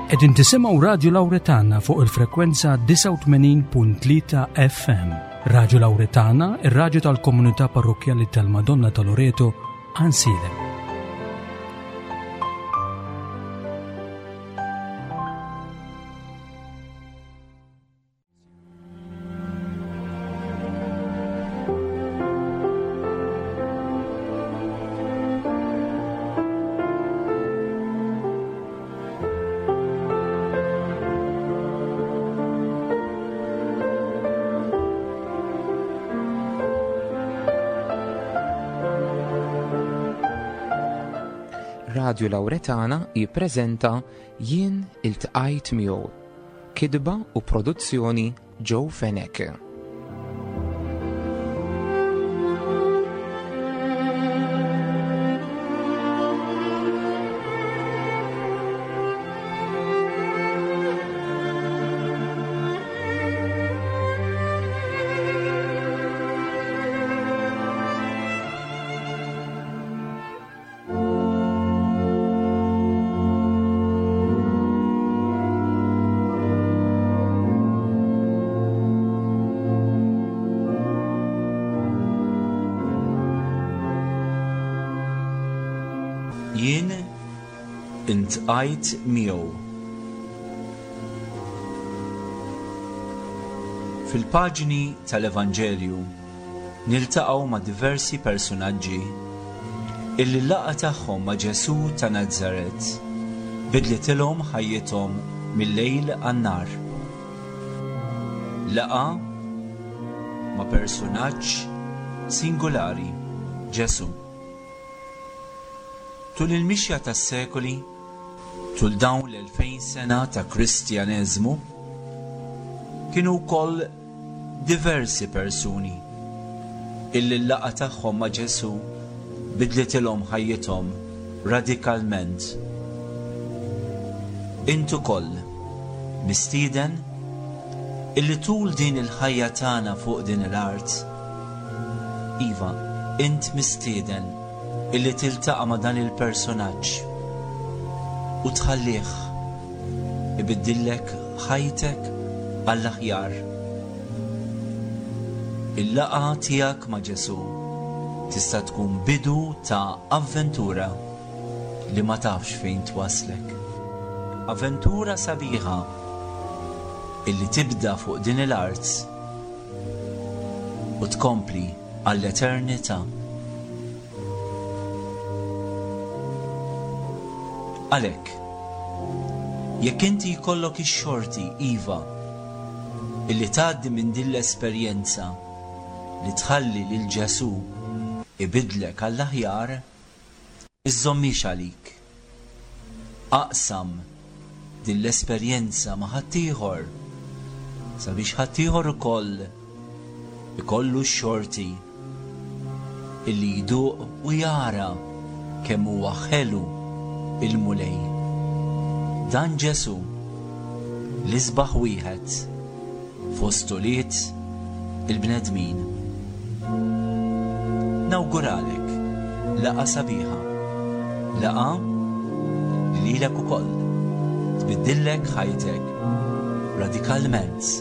Qegħdin tisimgħu Radju Lawretana fuq il-frekwenza 89.3 FM. Radju Lawretana, ir-radju tal-komunità parrokkjali tal-Madonna ta' Loreto, Ansilem. Radju Lawretana jippreżenta Jien iltqajt miegħu. Kitba u produzzjoni Joe Fenech. Jien intqajt miegħu. Fil-paġni tal-Evanġelju niltaqgħu ma' diversi persunaġġi illi l-laqgħa tagħhom ma' Ġesù ta' Nazaret bidlitilhom ħajjithom mil-lejl għan-nhar. Laqgħa ma' persunaġġ singulari, Ġesù. Tul il-mixja tas-sekoli, tul dawn l-2000 sena ta' Kristjaneżmu, kienu wkoll diversi persuni illi l-laqgħa tagħhom ma' Ġesù bidlitilhom ħajjithom radikalment. Int ukoll mistieden illi tul din il-ħajja tagħna fuq din l-art, iva, int mistieden illi tiltaqa' ma' dan il-persunaġġ u tħallih ibiddillek ħajtek għall-aħjar. Il-laqgħa tiegħek ma' Ġesù tista' tkun bidu ta' avventura li ma tafx fejn twasslek. Avventura sabiħa illi tibda fuq din l-art u tkompli għall-eternità. Għalhekk, jekk inti jkollok ix-xorti, iva, illi tgħaddi minn din l-esperjenza li tħalli lil Ġesù ibiddlek għall-aħjar, iżżommhiex għalik. Aqsam din l-esperjenza ma' ħaddieħor sabiex ħaddieħor ukoll ikollu x-xorti illi jduq u jara kemm huwa ħelu il-Mulej. Dan Ġesù, l-isbaħ wieħed fost ulied il-bnedmin. Nawguralek laqgħa sabiħa, laqgħa li lilek ukoll tbiddillek ħajtek radikalment.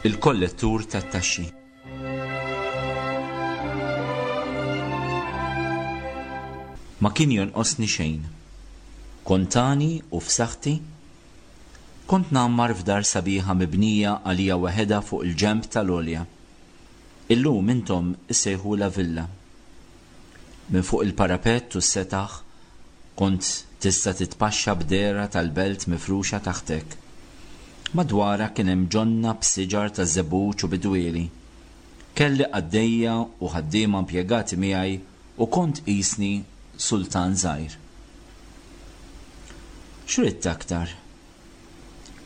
Il-kollettur tat-taxxi. Ma kien jonqosni xejn. Kont għani u f'saħħti. Kont ngħammar f'dar sabiħa mibnija għalija waħedha fuq il-ġenb tal-għolja. Illum intom issejħulha villa. Minn fuq il-parapett u s-setaħ kont tista' titpaxxa b'dehra tal-belt mifruxa taħtek. Madwarha kien hemm ġonna b'siġar taż-żebbuġ u bidwieli. Kelli qaddejja u ħaddiema impjegati miegħi u kont qisni sultan żgħir. X'ridt aktar?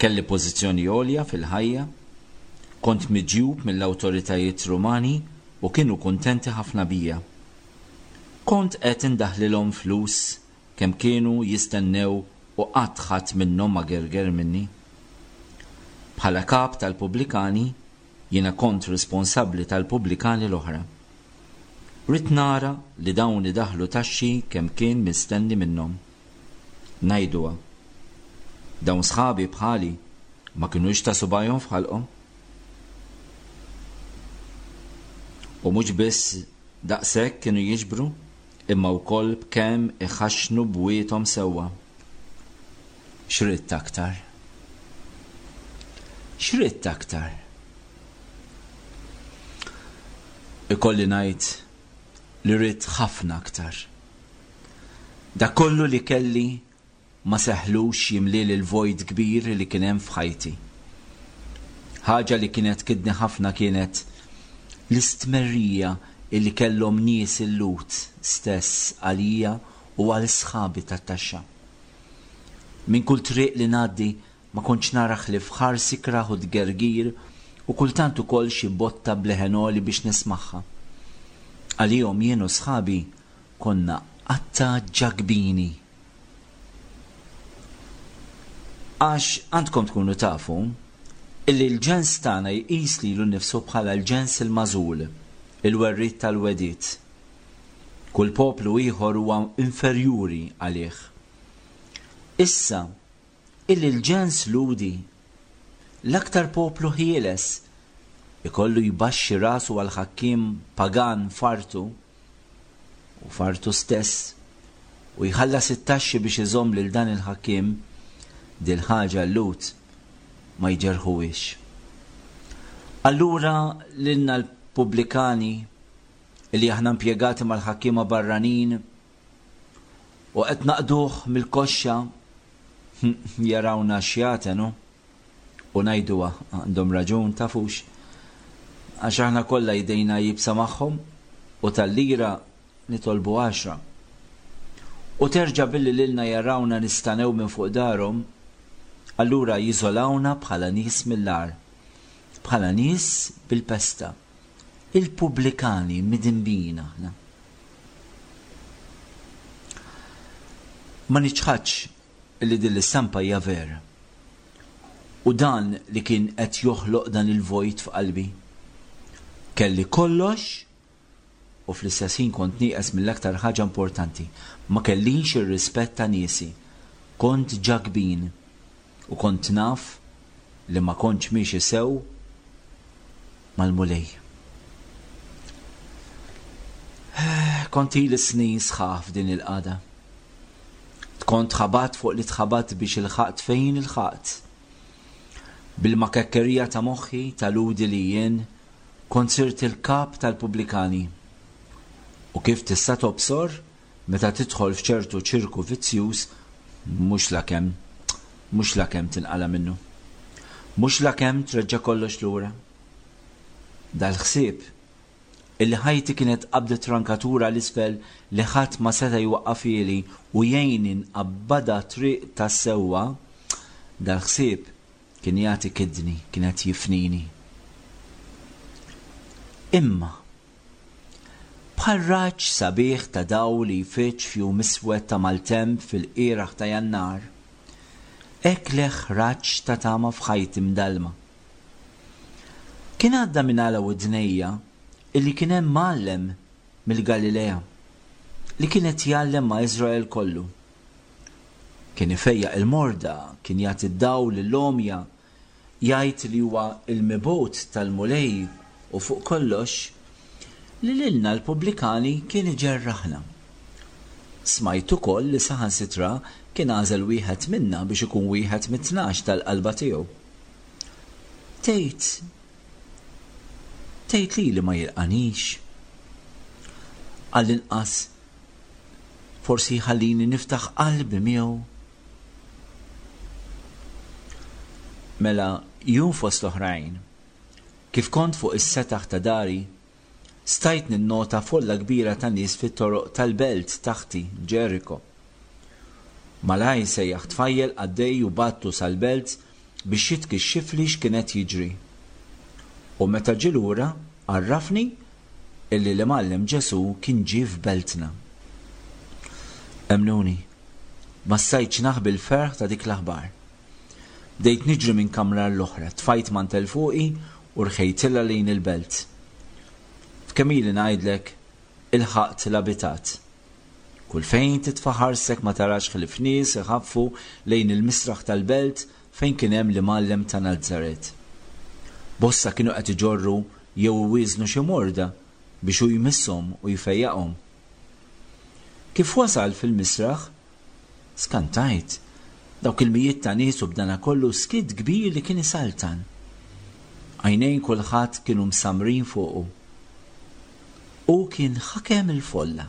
Kelli pożizzjoni għolja fil-ħajja. Kont miġjub mill-awtoritajiet Rumani u kienu kuntenti ħafna bija. Kont qed indaħħlilhom flus kemm kienu jistennew u qatt ħadd minnhom ma gerger minni. Bħala kap tal-pubblikani, jiena kont responsabbli tal-pubblikani l-oħra. Ridt nara li dawn idaħħlu taxxi kemm kien mistenni minnhom. Ngħiduha. Dawn sħabi bħali ma kinux ta' subgħajhom f'ħalqhom. U mhux biss daqshekk kienu jiġbru, imma wkoll b'kemm iħaxxnu bwiethom sewwa. X'ridt aktar? X'ridt aktar? Ikolli ngħid li ridt ħafna aktar. Dak kollu li kelli ma seħħlux jimlieli l-vojt kbir li kien hemm f'ħajti. Ħaġa li kienet tkidni ħafna kienet l-istmerrija illi kellhom nies il-Lhud stess għalija u għal sħabi tat-taxxa. Minn kull triq li ngħaddi ma kontx nara ħlief ħars ikrah u tgergir u kultant ukoll xi botta b'leħen għoli biex nismagħha. Għalihom jien u sħabi konna qatta' ġakbini. Għax għandkom tkunu tafu illi l-ġens tagħna jqis lilu nnifsu bħala l-ġens il-magħżul, il-werriet tal-wegħdiet. Kull poplu ieħor huwa inferjuri għalih. Issa, illi l-ġens Lhudi, l-aktar poplu ħieles, ikollu jbaxxi rasu għall-ħakkiem pagan f'artu, u f'artu stess, u jħallas it-taxxi biex iżomm lil dan il-ħakkiem, dil-ħaġa l-Lhud ma jġerrħuhiex. Allura lilna l-pubblikani, li aħna impjegati mal-ħakkiema barranin u qed naqduh mill-koxxa, jarawna xjaten, hu? U ngħiduha, għandhom raġun, tafux? Għax aħna kollha jdejna iebsa magħhom u tal-lira nitolbu għaxra. U terġa' billi lilna jarawna nistanew minn fuq darhom, allura jiżolawna bħala nies mill-agħar, bħala nies bil-pesta. Il-pubblikani midinbin aħna. Ma niċħadx li din l-istampa hija vera. U dan li kien qed joħloq dan il-vojt f'qalbi. Kelli kollox u fl-istess ħin kont nieqes mill-aktar ħaġa importanti. Ma kellix ir-rispett ta' niesi. Kont ġakbin u kont naf li ma kontx miexi sew mal-Mulej. Kont ili snin sħaħ f'din il-qagħda. Kont tħabatt fuq li tħabatt biex ilħaqt fejn ilħaqt. Bil-makakkerija ta' moħħi, ta' Lhudi li jien, kont sirt il-kap tal-pubblikani. U kif tista' tobsor, meta tidħol f'ċertu ċirku vizzjuż, mhux lakemm, mhux lakemm tinqala' minnu. Mhux lakemm treġġa' kollox lura. Dal-ħsieb Illi ħajti kienet qabdet rankatura 'l isfel li ħadd ma seta' jwaqqafhieli u jgħinni nqabbadha triq tas-sewwa, dal-ħsieb kien jagħti kidni, kien qed jifnini. Imma, bħal raġġ sabiħ ta' dawl li jfiġġ f'jum iswed ta' maltemp fil-qieraħ ta' Jannar, hekk leħħ raġġ ta' tama f'ħajti mdallma. Kien għadda minn għala widnejja illi kien hemm mgħallem mill-Galilea li kien qed jgħallem ma' Iżrael kollu. Kien ifejjaq il-morda, kien jagħti d-dawl lill-għomja, jgħid li huwa l-mibgħut tal-Mulej u fuq kollox, li lilna l-pubblikani kien iġerraħna. Smajt ukoll li saħansitra kien għażel wieħed minna biex ikun wieħed mit-tnax tal-qalba tiegħu. Tgħid, tgħid lili ma jilqanix? Għall-inqas forsi jħallini niftaħ qalbi miegħu. Mela jum fost l-oħrajn, kif kont fuq is-setaħ ta' dari, Stajt ninnota folla kbira ta' nies fit-toroq tal-belt taħti, Ġeriko. Malajr sejjaħ tfajjel qaddej u bagħtu sal-belt biex jitkixxifli x'kien qed jiġri. U meta ġie lura, għarrafni illi l-Imgħallem Ġesù kien ġie f'beltna. Emmnuni, ma stajtx naħbi l-ferħ ta' dik l-aħbar. Bdejt niġri minn kamra għall-oħra, tfajt mantell fuqi u rħejtilha lejn il-belt. F'kemm ili ngħidlek, ilħaqt l-abitat. Kull fejn titfa' ħarstek ma tarax ħlief nies iħaffu lejn il-misraħ tal-belt fejn kien hemm l-Imgħallem ta' Nazaret. Bosta kienu qed iġorru jew iwieżnu xi morda biex hu jmisshom u jfejjaqhom. Kif wasal fil-misraħ, skantajt, dawk il-mijiet ta' nies u b'danakollu skiet kbir li kien isaltan. Għajnejn kulħadd kienu msammrin fuqu. Hu kien ħakem il-folla.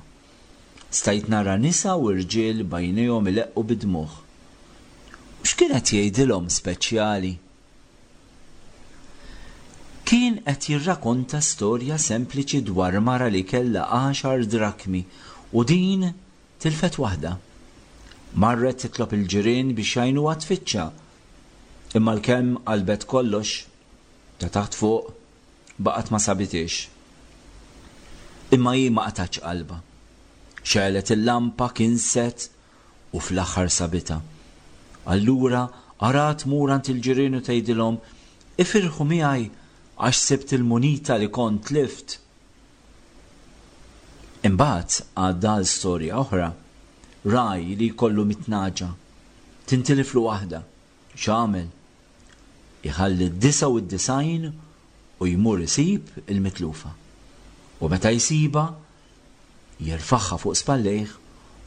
Stajt nara nisa u rġiel b'għajnejhom ileqqu bid-dmugħ. U x'kien qed jgħidilhom speċjali? Kien qed jirrakonta storja sempliċi dwar mara li kellha għaxar drakmi u din tilfet waħda. Marret titlob il-ġirien biex jgħinuha tfittxha. Imma għalkemm qalbet kollox, ta' taħt fuq, baqgħet ma sabithiex. Imma hi ma qatgħetx qalbha. Xegħlet il-lampa, kinset u fl-aħħar sabitha. Allura ara tmur għand il-ġirien u tgħidilhom, 'Ifirħu miegħi għax sibt il-munita li kont tlift. Imbagħad għadda għal storja oħra. Ragħaj li jkollu mitnaġa. Tintiliflu waħda. X'għamel? Iħalli d-99 u jmur isib il-mitlufa. U meta jsibha, jerfagħha fuq spallejh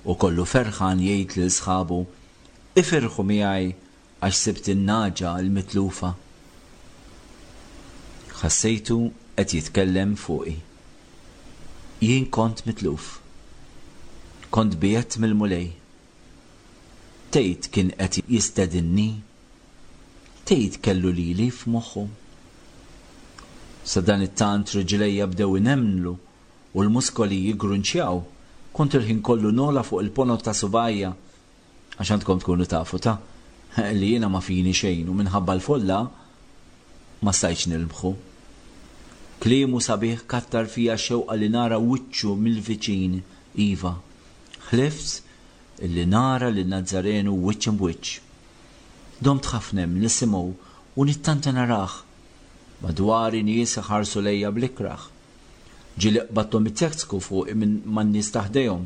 u kollu ferħan jgħid lil sħabu, 'Ifirħu miegħi għax sibt in-nagħġa l-mitlufa. Ħassejtu qed jitkellem fuqi. Jien kont mitluf. Kont biegħedt mill-Mulej. Tgħid kien qed jistedinni? Tgħid kellu lili f'moħħu? Sadanittant riġlejja bdew inemmlu u l-muskoli jiggrunċjaw. Kont il-ħin kollu nogħla fuq il-ponot ta' subgħajja. Għax għandkom tkunu tafu, ta, li jiena ma fini xejn u minħabba l-folla ma stajtx nilmħu. Kliemu sabiħ kattar fija x-xewqa li nara wiċċu mill-viċin, iva, ħlift illi nara lin-Nazzarenu wiċċ imb'wiċċ. Domt ħafna hemm nisimgħu u nittanta narah. Madwari nies iħarsu lejja bl-ikrah. Ġieli qbadthom itektsku fuqi minn man-nies ta' ħdejhom.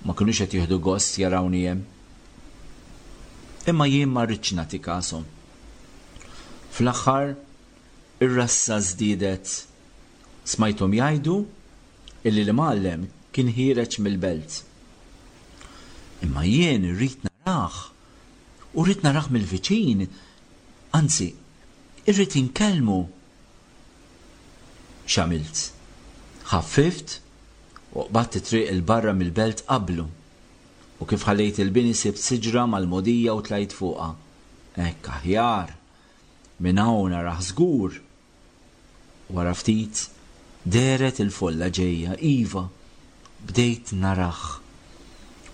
Ma kinux qed jieħdu gost jarawni hemm. Imma jien ma ridtx nagħti kashom. Fl-aħħar, ir-rassa żdiedet. Smajthom jgħidu illi l-imgħallem kien ħiereġ mill-belt. Imma jien irrid narah, u rrid narah mill-viċin, anzi, irrid inkellmu. X'għamilt? Ħaffift u qbadt it-triq 'il barra mill-belt qablu. U kif ħallejt il-bini sibt siġra mal-mogħdija u tlajt fuqha. Hekk aħjar! Minn hawn narah żgur! Wara ftit, dehret il-folla ġejja, iva, bdejt narah.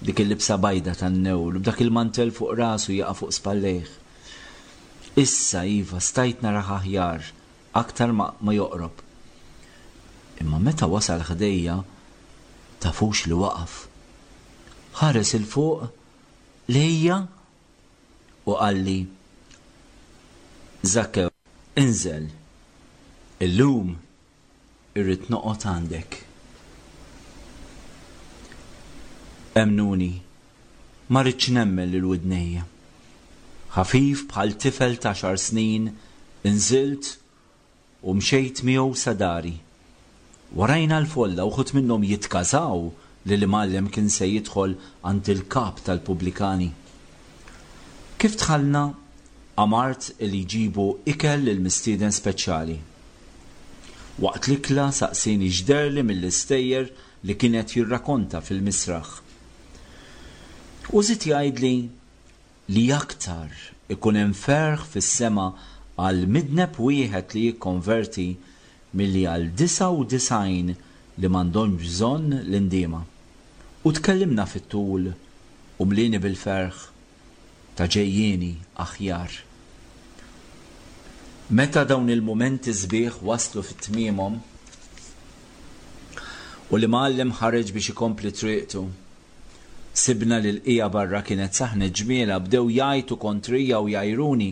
B'dik il-libsa bajda tan-newl u b'dak il-mantell fuq rasu jaqa' fuq spallejh. Issa, iva, stajt narah aħjar, aktar ma ma joqrob. Imma meta wasal ħdejja, tafux li waqaf. Ħares 'il fuq lejja u qalli, Żakkew, inżel, illum irrid noqgħod għandek. Emmnuni, ma ridtx nemmen lil widnejja. Ħafif bħal tifel t'għaxar snin inżilt U mxejt miegħu sa dari. Warajna l-folla, uħud minnhom jitkażaw li l-imgħallem kien se jidħol għand il-kap tal-pubblikani. Kif dħalna, amart li jġibu ikel lill-mistieden speċjali. Waqt l-ikla saqsieni x'dehrli mill-istejjer li kien qed jirrakonta fil-misraħ. U żied jgħidli li aktar ikun hemm ferħ fis-sema għal midneb wieħed li jikkonverti milli għal 99 li m'għandhomx bżonn l-indiema. U tkellimna fit-tul u mlieni bil-ferħ ta' ġejjieni aħjar. Meta dawn il-mumenti sbieħ waslu fi tmiemhom u l-imgħallem ħareġ biex ikompli triqtu, sibna li l-qiegħa barra kienet saħnet ġmielha, bdew jgħajtu kontrija u jgħajruni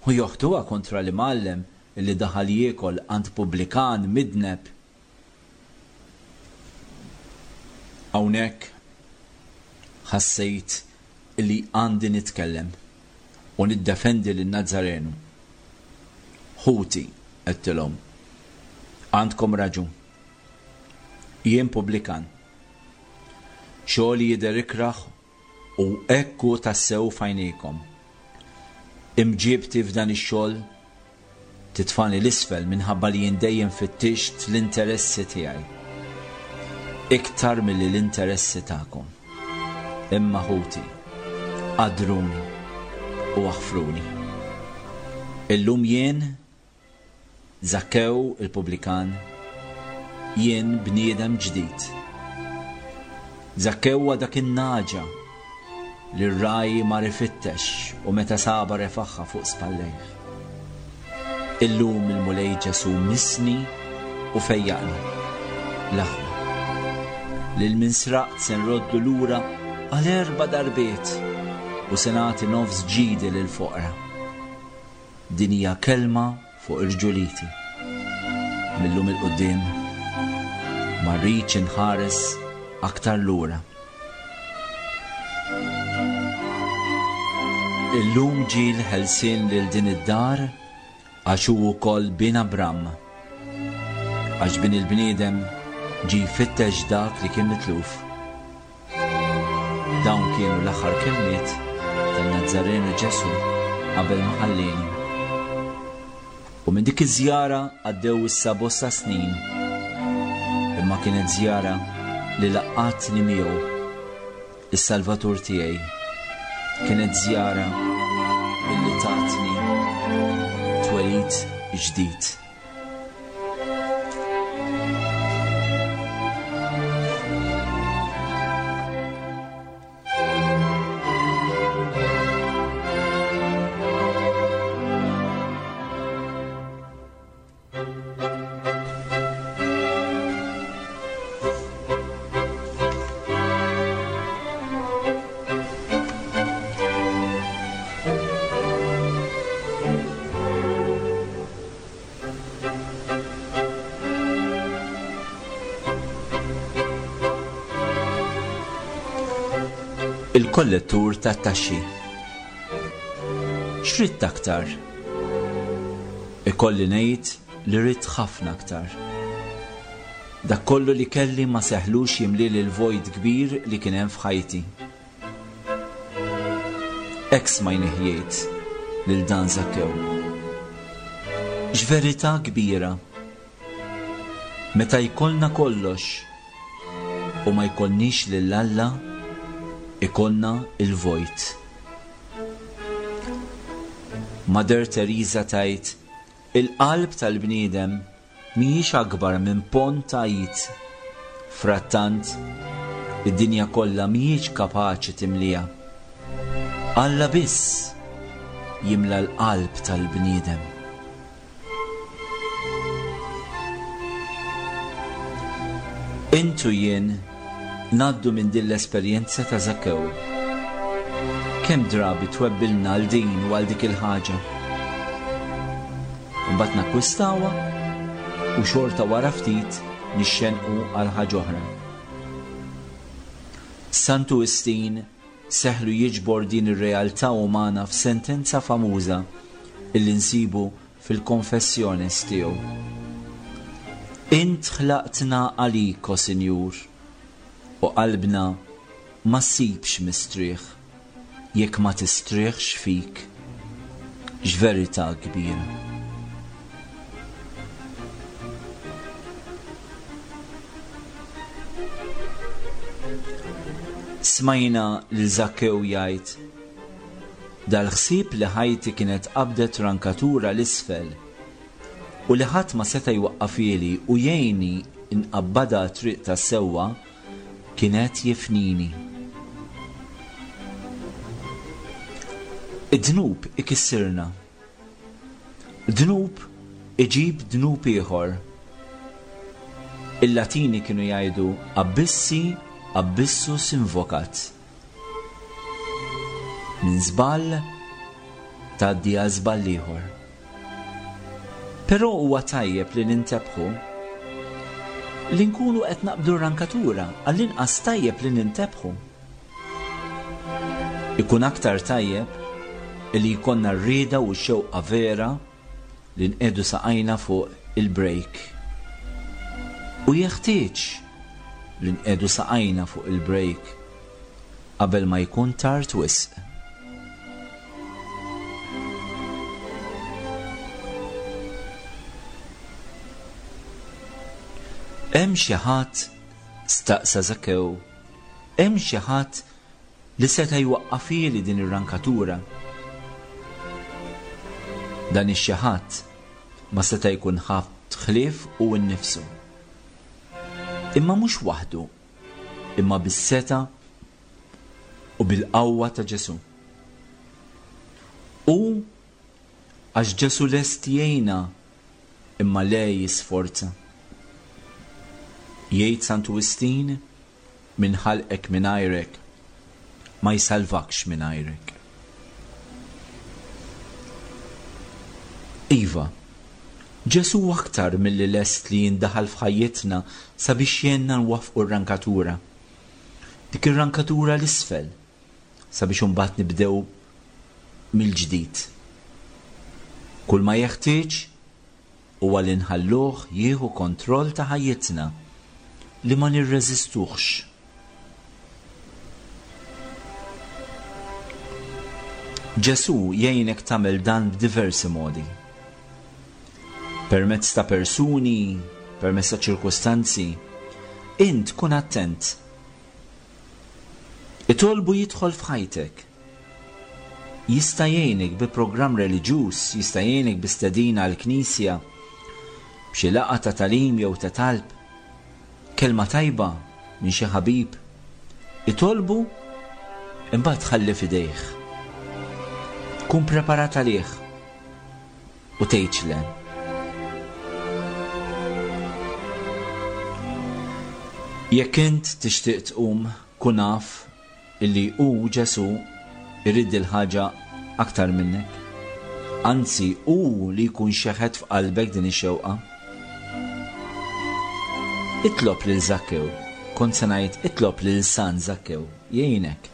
u joħduha kontra l-imgħallem li daħal jiekol għand pubblikan midneb. Hawnhekk ħassejt li għandi nitkellem u niddefendi lin-Nazzarenu. Ħuti, għedtilhom, għandkom raġun. Jien pubblikan. Xogħli jidher ikrah u hekk hu tassew f'għajnejkom. Imġiebti f'dan ix-xogħol titfagħni 'l isfel minħabba li jien dejjem fittixt l-interessi tiegħi iktar milli l-interessi tagħkom. Imma ħuti, qaddruni u aħfruli. Illum jien Żakkew il-pubblikan, jien bniedem ġdid. Żakkew huwa dak in-nagħġa li r-ragħaj mar ifittex u meta sabha refagħha fuq spallejh. Illum il-Mulej Ġesù missni u fejjaqni. L-aħwa. Lil min sraqt se nroddu lura għal erba' darbiet u se nagħti nofs ġidi lill-foqra. Din hija kelma fuq irġuliti. Mil-lum 'il quddiem ma rridx inħares aktar lura. Illum ġie l-ħelsien lil din id-dar għax hu wkoll bin Abram. Għax bin il-bniedem ġie jfittex dak li kien mitluf. Dawn kienu l-aħħar kelmiet tan-Nazzarenu Ġesù qabel ma ħallieni. U minn dik iż-żjara għaddew issa bosta snin. Imma kienet żjara li laqqatni miegħu, is-Salvatur tiegħi. Kienet żjara illi tatni twelid ġdid. Il-kollettur tat-taxxi. X'ridt aktar? Ikolli ngħid li ridt ħafna aktar. Dak kollu li kelli ma seħlux jimlieli l-vojt kbir li kien hemm f'ħajti. Hekk smajnih jgħid lil dan Żakkew. X'verità kbira! Meta jkollna kollox u ma jkollniex lil Alla, ikollna l-vojt. Mother Teresa tgħid, Il-qalb tal-bniedem mhijiex akbar minn ponn ta' id. Frattant, id-dinja kollha mhijiex kapaċi timliha. Alla biss jimla l-qalb tal-bniedem. Int u jien ngħaddu minn din l-esperjenza ta' Żakkew. Kemm drabi twebbilna għal din u għal dik il-ħaġa? Imbagħad nakkwistawha u xorta wara ftit nixxenqu għal ħaġa oħra. Santu Wistin seħlu jiġbor din ir-realtà umana f'sentenza famuża illi nsibu fil-Confessiones tiegħu. Int ħlaqtna għalik, o Sinjur, u qalbna ma ssibx mistrieħ jekk ma tistrieħx fik. X'verità kbira! Smajna lil Żakkew jgħid, Dal-ħsieb li ħajti kienet qabdet rankatura 'l isfel u li ħadd ma seta' jwaqqafhieli u jgħinni nqabbadha għat-triq tas-sewwa kien qed jifnini. Id-dnub ikissirna. Dnub iġib dnub ieħor. Il-Latini kienu jgħidu abbissi abbissus invocat. Minn żball tgħaddi għal żball ieħor. Però huwa tajjeb li nintebħu li nkunu qed naqbdu r-rankatura, għall-inqas tajjeb li nintebħu. Ikun aktar tajjeb li jkollna r-rieda u x-xewqa vera li nqiegħdu saqajna fuq il-brejk. U jeħtieġ li nqiegħdu saqajna fuq il-brejk qabel ma jkun tard wisq. Hemm xi ħadd, staqsa Żakkew, hemm xi ħadd li seta' jwaqqafhieli din ir-rankatura? Dan ix-xi ħadd ma seta' jkun ħadd ħlief hu nnifsu. Imma mhux waħdu, imma bis-setgħa u bil-qawwa ta' Ġesù. U għax Ġesù lest jgħinna imma le jisforza. Jgħid Santu Wistin, min ħalqek mingħajrek ma jsalvakx mingħajrek. Iva, Ġesù aktar milli lest li jindaħal f'ħajjitna sabiex jgħinna nwaffqu r-rankatura. Dik ir-rankatura 'l isfel sabiex imbagħad nibdew mill-ġdid. Kull ma jeħtieġ huwa li nħalluh jieħu kontroll ta' ħajjitna, li ma nirreżistuhx. Ġesù jgħinek tagħmel dan b'diversi modi. Permezz ta' persuni, permezz ta' ċirkustanzi. Int kun attent. Itolbu jidħol f'ħajtek. Jista' jgħinek bi programm reliġjuż, jista' jgħinek bi stedina għall-knisja, b'xi laqgħa ta' tagħlim jew ta' talb, kelma tajba minn xi ħabib. Itolbu imbagħad ħalli f'idejh. Kun preparat għalih u tgħidx le. Jekk int tixtieq tqum, kun af illi hu, Ġesù, irid dil-ħaġa aktar minnek. Anzi, hu li jkun xeħet f'qalbek din ix-xewqa. Itlob lil Żakkew, kont se ngħid itlob lil San Żakkew, jgħinek.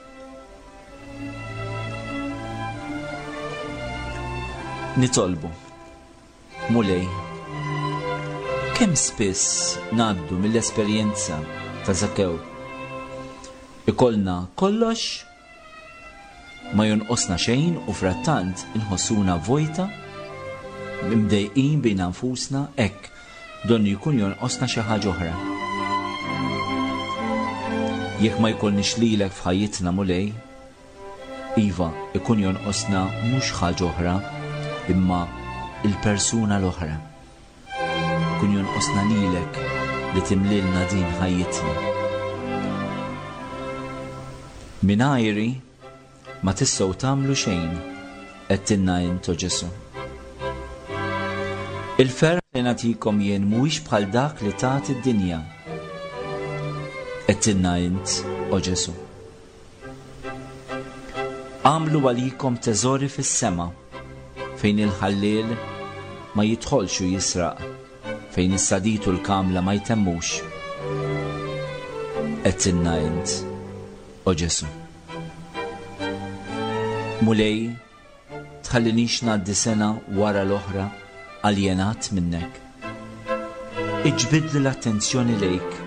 Nitolbu. Mulej, kemm spiss ngħaddu mill-esperjenza ta' Żakkew. Ikollna kollox, ma jonqosna xejn u frattant inħossuna vojta, imdejqin bina nfusna, hekk donnu jkun jonqosna xi ħaġa oħra. Jekk ma jkollniex lilek f'ħajjitna Mulej, Iva, ikun jonqosna mhux ħaġa oħra, imma il-persuna l-oħra. Ikun jonqosna lilek li timlilna din ħajjitna. Mingħajri ma tistgħu tagħmlu xejn, għedtilna int, o Ġesù. Il-ferħ li nagħtikom jien mhuwiex bħal dak li tagħti d-dinja, għedtilna int, o Ġesù. Agħmlu għalikom teżori fis-sema, fejn il-ħalliel ma jidħolx u jisraq, fejn is-sadid u l-kamla ma jtemmux. Għedtilna int, o Ġesù. Mulej, Tħallinix ngħaddi sena wara l-oħra aljenat minnek. Iġbidli l-attenzjoni lejk.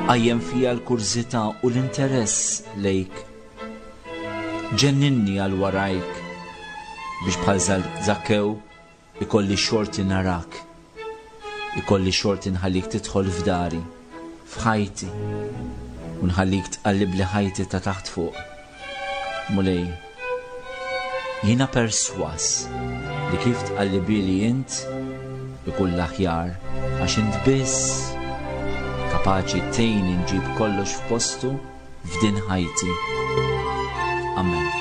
Qajjem fija l-kurżità u l-interess lejk. Ġenninni għal warajk biex bħal Żakkew Ikolli xorti narak. Ikolli xorti nħallik tidħol f'dari, f'ħajti, u nħallik tqallibli ħajti ta' taħt fuq. Mulej, jiena perswas li kif tqallibili int ikun l-aħjar għax int biss kapaċi tgħinni nġib kollox f'postu f'din ħajti. Amen.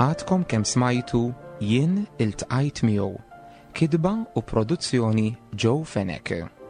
Għadkom kemm smajtu Jien Iltqajt Miegħu, kitba u produzzjoni Joe Fenech.